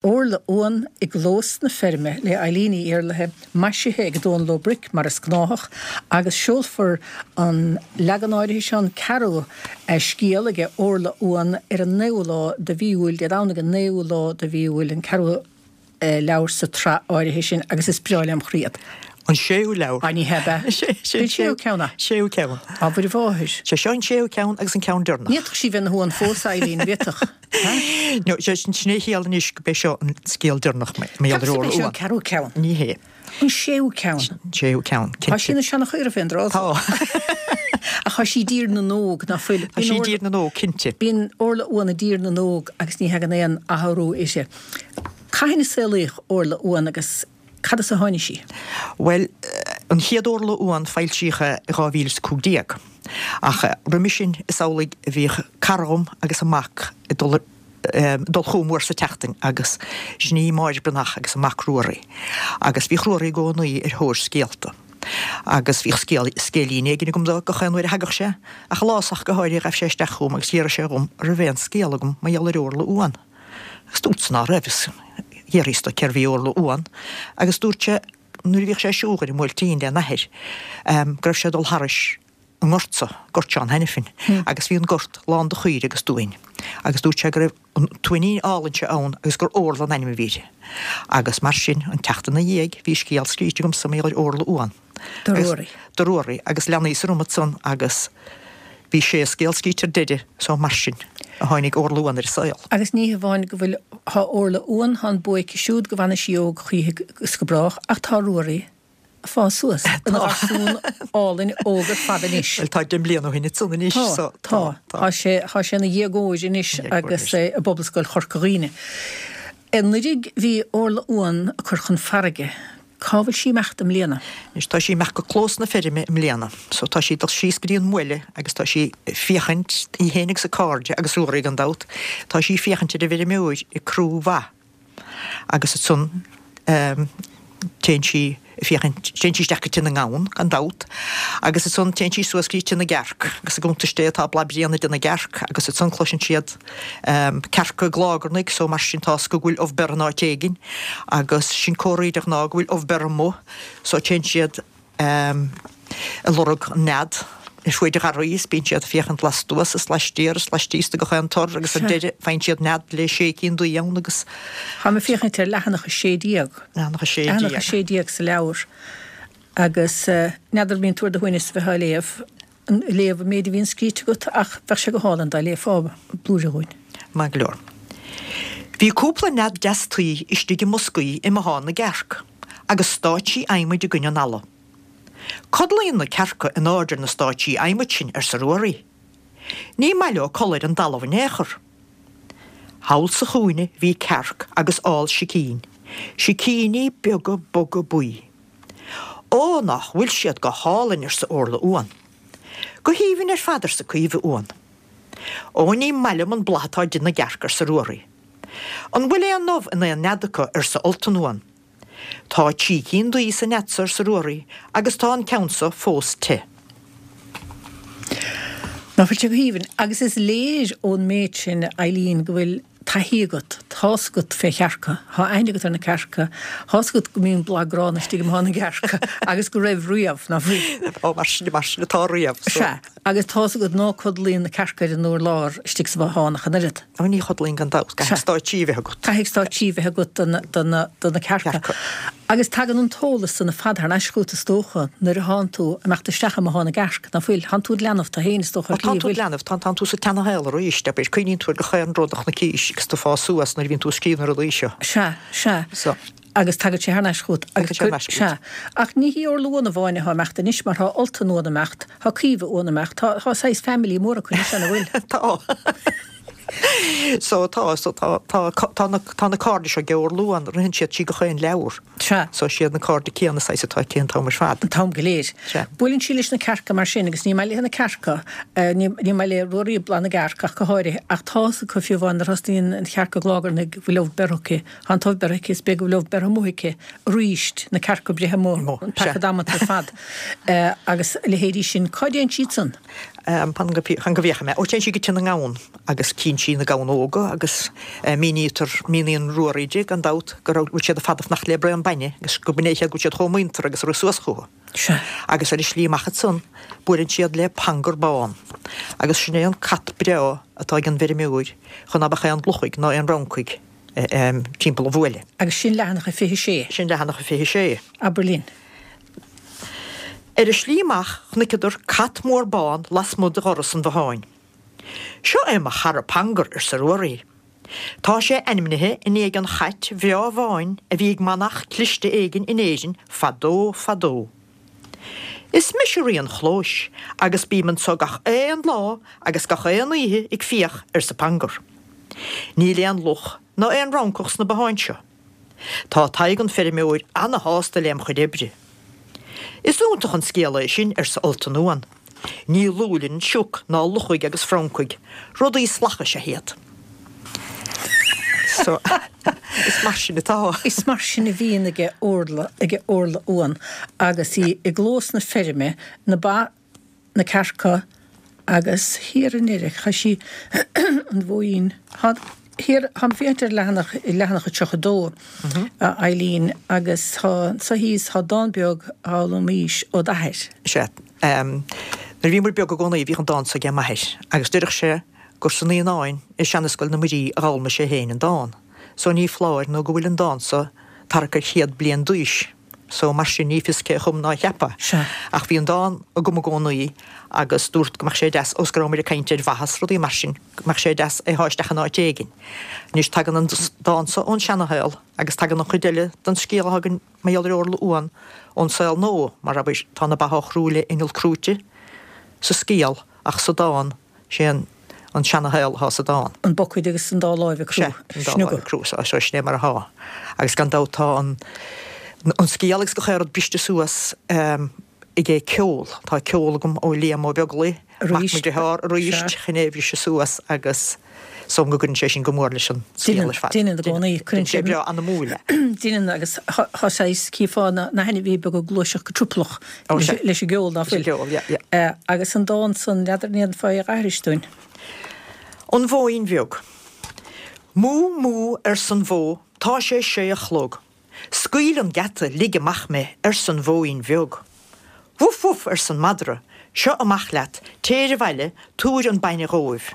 Órla Uan i gClós na Feirme le Eileen Ní Iarlaithe, maisithe ag Dónal Ó Bric mar is gnáthach, agus seolfar an leagan áirithe seo, an ceathrú scéal aige Órla Uan, ar an naoú lá de mhí Iúil, Dé Domhnaigh an naoú lá de mhí Iúil, an ceathrú leabhar sa tsraith áirithe sin, agus is breá lem chroí iad. An séú leabhar. Ah, ní hea, ab ea? An séú ceann é? Séú ceann. Á, Mhuire Mháthair. Sé seo an séú ceann agus an ceann deireanach. Ní fhéadfadh sí bheith ina huan fós, Eileen, an bhféadfadh? No, sé sin é a chiall anois go b'é seo an scéal deireanach mar gheall ar Ceapas Órla b'é seo Uan. an ceathrú ceann. Ní hé. An séú ceann. An séú ceann, Tá sí cinnte. ina seanchaora fén dtráth Tá. Ach tá sí i dtír na nÓg, ná fuil? Tá sí i dtír na nÓg, cinnte. Bíonn Órla Uan i dtír na nÓg agus ní thagann aon athrú uirthi. Cathain a saolaíodh Órla Uan agus Cad as a tháinig sí? Bhuel, an chéad Órla Uan foilsíodh é i 2015. Ach roimhe sin is amhlaidh a bhíodh cara dhom agus a mac ag dul dul chugam uair sa tseachtain agus sin í Máire Breathnach agus a mac Ruairí. Agus bhíodh Ruairí i gcónaí ar thóir scéalta. Agus bhíodh scéal, scéilín éigin agam dó gach aon uair a thagadh sé. Ach lá ach go háirithe ghabh sé isteach chugam agus d'fhiafraigh sé dhom an raibh aon scéal agam mar gheall ar Órla Uan. Agus dúrtsa ná raibh, agus d'fhiafraíos de cérbh í Órla Uan, agus dúirt sé nuair a bhíodh sé ag siúl ar an mBuailtín lena athair, go raibh sé ag dul thairis an ngort so, Gort Seán Hanafin, agus bhí an gort lán de chaoirigh agus d'uain, agus dúirt sé go raibh an t-uainín álainn seo ann agus gur Órla an ainm a bhí uirthi. Agus mar sin, an tseachtain ina dhiaidh, bhí scéal scríte agamsa mar gheall ar Órla Uan. Do Ruairí. Do Ruairí, agus leanaíos orm ansan agus bhí sé scéal scríte ar deireadh, so mar sin a tháinig Órla Uan ar an saol. Agus ní hamháin go bhfuil, thá Órla Uan, thá an buaic siúd go bhfana sí óg choíche is go brách, ach tá Ruairí ag fás suas ina gharsún álainn óg ar fad anois. Bhuel, tá 10 mbliana ó shin ansan anois, so tá, tá. Tá sé, tá sé ina dhéagóir anois agus é i bPobalscoil Chorca Dhuibhne. Anuraidh bhí Órla Uan ag cur chun farraige. Cá bhfuil sí ag imeacht i mbliana? Anois tá sí ag imeacht go Clós na Feirme i mbliana. So tá sí ag dul síos go dtí an bhaile agus tá sí ag féachaint, í féin agus a cairde agus Ruairí gan dabht, tá sí ag féachaint ar an bhfeirmeoir ag crú ba agus ansan téann sí ag féachaint, téann sí isteach go Tigh na nGamhan gan dabht agus ansan téann sí suas go dtí Tigh na gCearc agus i gcuntais Dé tá bladh bréan i dTigh na gCearc agus ansan cloiseann siad cearca ag glágarnaigh so mar sin tá's acu go bhfuil ubh beirthe in áit éigin agus sin comhartha de ghnáth go bhfuil ubh beirthe amuigh so téann siad ag lorg an nead ar fuaid an gharraí is bíonn siad ag féachaint lastuas is laistiar is laistíos de gach aon tor agus ar deireadh faigheann siad nead le sé cinn d'uibhe ann agus Táim ag féachaint ar leathanach 16. Leathanach 16. Leathanach 16 sa leabhar agus n'fheadar an mbíonn tú ar do shuaimhneas a bheith á léamh. léamh an méid a bhíonn scríte agat ach bheadh sé go hálainn dá léifeá blúire dhúinn. Maith go leor. Bhí cúpla nead deas tuí istigh i mboscaí i mbothán na gcearc agus stáitsí adhmaid i gcoinne an fhalla. Codlaíonn na cearca in airde ar na stáitsí adhmaid sin, arsa Ruairí. Ní maith leo codladh ar an dtalamh in aon chor. Thall sa chúinne bhí cearc agus ál sicín, sicíní beaga boga buí. Ó, nach bhfuil siad go hálainn, arsa Órla Uan. Go haoibhinn ar fad, arsa Caoimhe Uan. Ó, ní maith liom an bladh atá i dtigh na gcearc, arsa Ruairí. An bhfuil aon ubh in aon nead acu, arsa Ultan Uan. Tá trí cinn d'uibhe sa nead so, arsa Ruairí, agus tá an ceann so fós te. Ná fuil sé go haoibhinn? Agus is léir ón méid sin, Eileen, go bhfuil taithí agat, tá's agat fé chearca, thá aithne agat ar na cearca, tá's agat go mbíonn bladh gránna istigh i mbothán na gcearc agus go raibh riamh, ná fuil? Ó, mar sin, mar sin atá riamh, so. Sea, agus tá's agat ná codlaíonn na cearca ar an urlár istigh sa bhothán ach an oiread. Ó, ní chodlaíonn gan dabht, caithfidh stáitsí a bheith agat. Caithfidh stáitsí a bheith agat do na cearca. Agus tagann an t-eolas san ar fad thar n-ais chugat is dócha nuair a thánn tú ag imeacht isteach i mbothán na gcearc, ná fuil? Thánn tú id leanbh tú fhéin is dócha ar shlí, an bhfuil? Ó, tánn tú id leanbh, tánn tú sa tseana-shaol arís, abair, cuimhníonn tú ar gach aon rud a chonaicís agus tú ag fás suas nuair a bhíonn tú ag scríobh na rudaí seo. Sea, sea. So. Agus tagann sé thar n-ais chugat. Tagann sé thar n-ais chugat. Sea. Ach ní hí Órla Uan amháin atá ag imeacht anois mar thá Ultan Uan ag imeacht, thá Caoimhe Uan ag imeacht, tá, tá saghas family mór acu anois, an bhfuil? Tá. So tá, so tá, tá, tá na, tá na cairde seo ag Órla Uan, ritheann siad trí gach aon leabhar. Sea. So siad na cairde céanna saghas atá aici an t-am ar fad. An t-am go léir. Sea. Buaileann sí leis na cearca mar sin agus ní maith léi na cearca, ní, ní maith le Ruairí bladh na gcearc ach go háirithe, ach tá's acu fiú amháin nuair a thosnaíonn an chearc ag glágarnaigh go bhfuil ubh beirthe aici, tá an t-ubh beirthe aici is b'fhéidir go bhfuil ubh beirthe amuigh aici aríst, na cearca breithe amuigh, an paca damanta ar fad, agus a leithéidí sin. Cá dtéann siad san? Fan go bhféachfaidh mé. Ó, téann sí go tigh na ngamhan agus cíonn sí na gamhain óga agus mínítear, míníonn Ruairí di, gan dabht, go raibh, bhfuil siad ar fad ag fanacht le braon bainne agus go b'in é go bhfuil siad chomh muinteartha agus a rith suas chucu. Sea. Agus ar a slí amach ansan, buaileann siad le Pangur Bán. Agus sin é an cat breá atá ag an bhfeirmeoir chun ná beadh aon luchaigh ná aon fhrancaigh timpeall an bhuaile. Agus sin leathanach a 26. Sin leathanach a 26. Abair linn. Ar a slí amach chonaiceadar cat mór bán lasmuigh de dhoras an bhotháin. Seo é mo chara Pangur, arsa Ruairí. Tá sé ainmnithe i ndiaidh an chait bhreá bháin a bhí ag manach cliste éigin in Éirinn fadó fadó. Is mise rí an chlóis agus bím anso gach aon lá agus gach aon oíche ag fiach, arsa Pangur. Níl aon luch ná aon fhrancach sna botháin seo. Tá Tadhg an feirmeoir ana-shásta lem chuid oibre. Is iontach an scéal é sin, arsa Ultan Uan. Ní lú linn sioc ná luchaigh agus francaigh, rudaí salach is ea iad. So, is mar sin atá. Is mar sin a bhíonn aige Orla, aige Orla Uan agus í i gclós na feirme, na ba, na cearca agus thiar i ndeireadh, chaith sí an mhóin, thá, thiar, táim ag féachaint ar leathanach, leathanach a 32, a Eileen, agus thá, anso thíos, thá dán beag a d'fhoghlaimís ó d'athair. Sea. Nuair a bhíomar beag i gcónaí bhíodh an dán so aige m'athair agus deireadh sé gur sna Naíonáin i seanascoil na Muirí a d'fhoghlaimigh sé féin an dán. So ní foláir nó go bhfuil an dán so thart ar chéad bliain d'aois. So, mar sin, ní fios cé a chum ná a cheap é. Sea. Ach bhí an dán agam i gcónaí agus dúrt go mbeadh sé deas, ós go rabhamar ag caint ar mhaitheas, rudaí mar sin, go mbeadh sé deas é a shá isteach in áit éigin. Anois, tagann an dán so ón seanashaol agus tagann an chuid eile den scéal atá againn mar gheall ar Orla Uan ón saol nua, mar abair, tá na ba á chrú le inneall crúite sa scéal ach sa dán, Sé an an seana-shaol atá sa dán. An buicéad agus an dá láimh ag crú. Sea, an dá láimh ag crú. So sin é mar atá. Agus gan dabht tá an an scéal agus gach aon rud briste suas aige ceol. Tá ceol agam ó Liam Ó Beaglaoich, mac mo dhearthár, arís chun é a bhriseadh suas agus is dóigh liom go gcuireann sé sin go mór leis an scéal ar fad. Deineann i gcónaí. Cuireann sé breá anamúil é. Deineann agus tá saghas, chífeá na hainmhithe beaga ag gluaiseacht go triopallach leis an gceol, ná fuil? Leis an gceol, yeah, yeah. Agus an dán san, n'fheadar an ndéanfá é a aithris dúinn? An Bhóín Bheag. Mú, mú, arsan bhó, tá sé sé a chlog. Scaoil an geata, lig amach mé, arsan bhóín bheag. Wuf, wuf, arsan madra, seo amach leat, téir abhaile, tabhair an bainne dhóibh.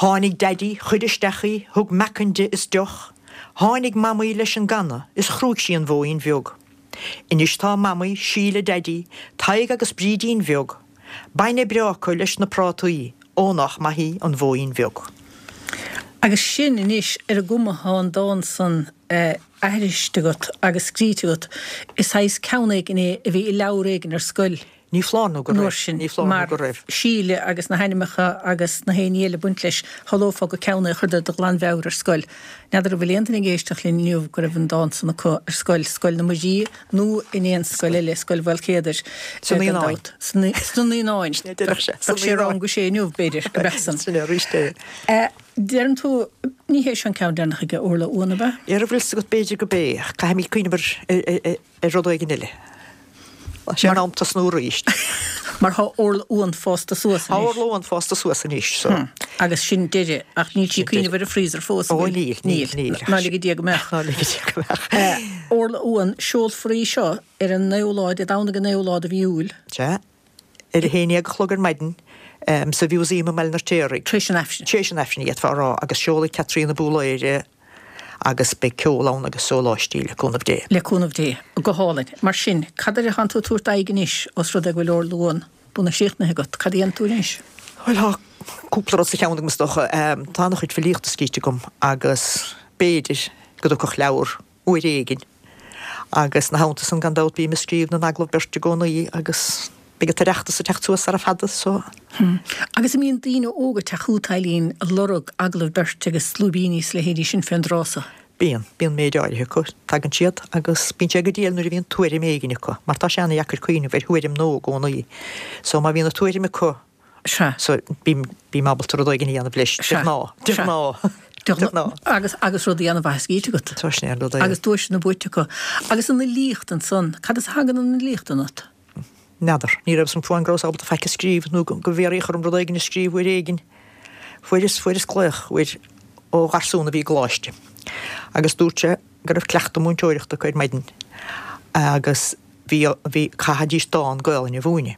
Tháinig Daidí, chuir isteach í, thug meacan di is deoch. Tháinig Mamaí leis an gcanna is chrúigh sí an bhóín bheag. Anois tá Mamaí, Síle, Daidí, Tadhg agus Brídín bheag. Bainne breá acu leis na prátaí, ó nách maith í an bhóín bheag. Agus sin anois ar an gcuma thá an dán san aithriste agat agus scríte agat, is saghas ceann éigin é a bhí i leabhar éigin ar scoil. Ní foláir nó go raibh. Sin, Ní foláir nó go raibh. Síle agus na hainmneacha agus na haon ní eile ag baint leis, shamhlófá gur ceann é a chuireadar de ghlanmheabhair ar scoil. N'fheadar an bhfuil aon duine ag éisteacht linn inniu go raibh an dán san acu ar scoil, Scoil na Muirí nó in aon scoil eile, Scoil Mhaolchéadair, Sna Naíonáin. Sna Naíonáin. Bheadh sé rang a sé inniu, b'fhéidir, go mbeadh san. Sin é arís é. Deireann tú, ní hé seo an ceann deireanach aige Orla Uan, ab ea? Ar bhfuil 's agat, b'fhéidir gurb é, ach caithfimid cuimhneamh ar ar rud éigin eile. Tá sé in am tosnú arís. Mar tá Orla Uan fásta suas anois. Tá Orla Uan fásta suas anois, so. Agus sin deireadh, ach níl sí ag cuimhneamh ar an freezer fós, an bhfuil? Ó níl, níl, níl. Ná lige Dia go mbeadh. Ná lige Dia go mbeadh. Orla Uan, seolfar í seo ar an naoú lá, Dé Domhnaigh an naoú lá de mhí Iúil. Sea. Ar a haon dhéag a chlog ar maidin, sa Mhúsaem i mBaile an Fheirtéaraigh. Tar éis an Aifrinn. Tar éis an Aifrinn, d'fhéadfá a rá, agus seolfaidh Caitríona Búlaeire agus beidh ceol ann agus sóláistí, le cúnamh Dé. Le cúnamh Dé. Go hálainn. Mar sin, cad air atánn tú ag tabhairt d'aghaidh anois, os rud é go bhfuil Orla Uan bunaidh críochnaithe agat? Cad a dhéanfaidh tú anois? Bhuel, tá cúpla rud sa cheann agam, is dócha. Tá an-chuid filíochta scríte agam agus b'fhéidir go dtiocfadh leabhar uair éigin. Agus ina theannta san, gan dabht, bím ag scríobh na n-agallamh beirte i gcónaí agus beidh an tOireachtas ag teacht suas sara fada so. Agus an mbíonn daoine óga ag teacht chugat, Eileen, ag lorg agallamh beirte agus lúibíní is a leithéidí sin fén dtráth so? Bíonn. Bíonn méid áirithe acu. Tagann siad agus bíonn sé go diail nuair a bhíonn tuairim éigin acu, mar tá sé ana-dheacair cuimhneamh ar thuairim nua i gcónaí. So má bhíonn an tuairim acu, Sea. So, bím, bím ábalta rud éigin a dhéanamh leis, de ghnáth. De ghnáth. De ghnáth. Agus, agus rudaí ana-mhaith scríte agat. Tá sin é an rud é. Agus duaiseanna buaite acu. Agus an fhilíocht ansan, cad as a thagann an fhilíocht ionat? N'fheadar. Ní raibh 'fhios a'm fiú amháin go rabhas ábalta faic a scríobh nó go bhfiafraíodh orm rud éigin a scríobh uair éigin. Fuaireas, fuaireas glaoch uair ó gharsún a bhí i gcoláiste agus dúirt sé go raibh cleachtadh múinteoireachta acu ar maidin agus bhí, bhí, chaithfidís dán Gaolainne a mhúineadh.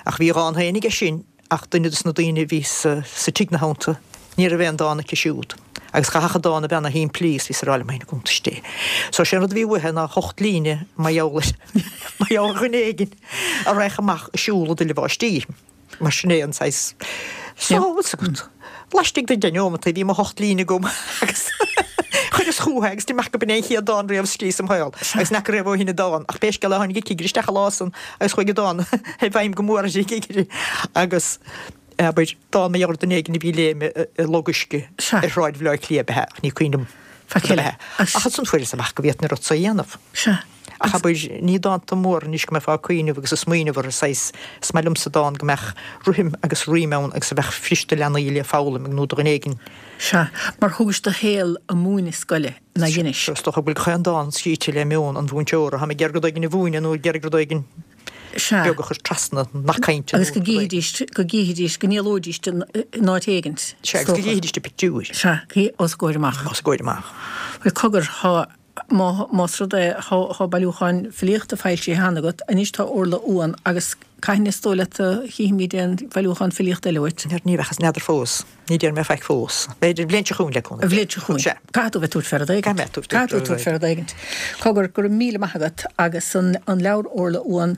Ach bhí a dhán féin aige sin ach duine dos na daoine a bhí sa, sa tigh 'na theannta, ní raibh aon dán aici siúd. Agus chaithfeadh an dán a bheith ana shimplí is bhíos ag rá liom féin i gcuntais Dé. So sé an rud a bhí uaithe ná hocht líne mar gheall ar, mar gheall ar dhuine éigin a raghadh amach ag siúl i dtuile bháistí. Mar sin é an saghas. So, bhfuil 's agat, laistigh de deich neomataí bhí mo hocht líne agam agus chuireas chúthu é agus d'imigh go b'in é an chéad dán riamh a scríos im shaol agus n'fheaca riamh ó shin an dán ach pé scéal é tháinig an cigire isteach an lá san agus chuaigh an dán i bhfeidhm go mór ar an gcigire agus abair dán mar gheall ar dhuine éigin a bhí ag léim i log uisce ar shráid Bhaile Átha Cliath ab ea ach ní cuimhin liom Faic eile. Ach ansan fuaireas amach go bhféadfainn an rud so a dhéanamh. Sea. Ach abair, ní dánta móra anois go mbeifeá ag cuimhneamh agus ag smaoineamh orthu, saghas, is maith liomsa dán go mbeadh rithim agus rím ann agus a bheadh fuirist do leanaí le foghlaim nó do dhuine éigin. Sea, mar thugais do shaol ag múineadh scoile, ná dheinis? Is dócha go bhfuil gach aon dán scríte le meon an mhúinteora. Táim ag iarraidh rud éigin a mhúineadh nó ag iarraidh rud éigin beag a chur trasna, nath cainte nó rud éigin. Agus go gcífidís, go gcífidís, go ndíolóidís in áit éigint, is dócha. Sea, agus go gcífidís an pictiúr. Sea, os a gcomhair amach. Os a gcomhair amach. Bhuel, cogar, tá Más rud é, tá bailiúcháin filíochta foilsithe cheana agat, anois tá Orla Uan agus cathain is dóigh leat a chífimid aon bhailiúchán filíochta eile uait? Ní bheadh, n'fheadar fós. Ní déarfaidh mé faic fós. B'fhéidir an bhliain seo chugainn le cúnamh Dé. An bhliain seo chugainn. Sea. Caithfidh tú bheith ag tabhairt fé rud éigint. Caithfidh mé tabhairt Caithfidh tú tabhairt fé rud éigint. Cogar, go raibh míle maith agat agus an leabhar Orla Uan,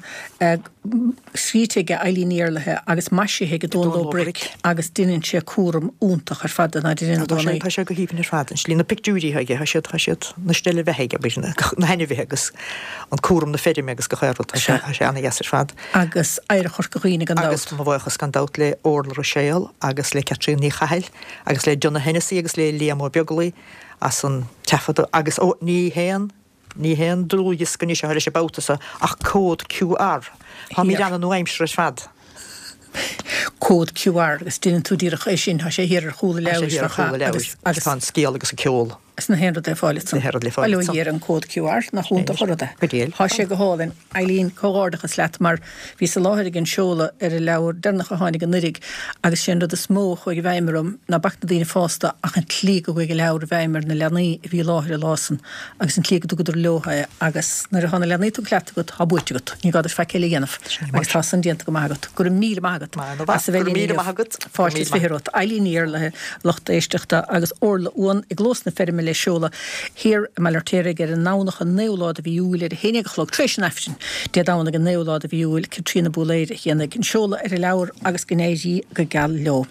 scríte aige Eileen Ní Éarlaithe agus maisithe ag Dónal Ó Bric agus deineann sé cúram iontach ar fad de ná deineann i gcónaí. Tá sé go haoibhinn ar fad. An slí na pictiúirí atá aige, tá siad, tá siad na steille bheatha aige, abair, na hainmhithe agus an cúram na feirme agus gach aon rud, tá sé, tá sé ana-dheas ar fad. Agus oidhreacht Chorca Dhuibhne gan dabht. Agus mo bhuíochas gan dabht le Orla Ruiséal agus le Caitríona Ní Chathail agus le Donagh Hennessy agus le Liam Ó Beaglaoi as an taifeadadh agus, ó, ní haon Ní haon dlúthdhiosca anois atá leis an babhta seo ach cód QR. Táimid ana-nua-aimseartha ar fad. Cód QR agus deineann tú díreach é sin, tá sé thiar ar chúl an leabhair. Tá sé thiar ar chúl an leabhair agus tá an scéal agus an ceol. Is na haon rud le fáil ansan. Na haon rud le fáil ansan. Bail ó Dhia ar an cód QR, nach iontach an rud é. Go diail. Tá sé go hálainn. Eileen, comhghairdeachas leat mar bhíos i láthair ag an seoladh ar an leabhar deireanach a tháinig anuiridh agus sé an rud is mó a chuaigh i bhfeidhm orm ná bac na daoine fásta ach an tslí go gcuaigh an leabhar i bhfeidhm ar na leanaí a bhí i láthair an lá san agus an tslí go dtugadar leo é agus nuair atá na leanaí tugtha leat agat tá buaite agat, ní gá duit faic eile a dhéanamh agus tá san déanta go maith agat. Go raibh míle maith agat as a bheith linn inniu. Fáilte is 20 romhat. Eileen Ní Éarlaithe, lucht éisteachta agus Orla Uan i gclós na feirme le seoladh thiar i mBaile Fheirtéaraigh ar an nDomhnach an 9ú lá de mhí Iúil ar 11 a chlog tar éis an Aifrinn. Dé Domhnaigh an 9ú lá de mhí Iúil, Caitríona Búlaeir a dhéanfaidh an seoladh ar an leabhar agus go n-éirí go geal leo.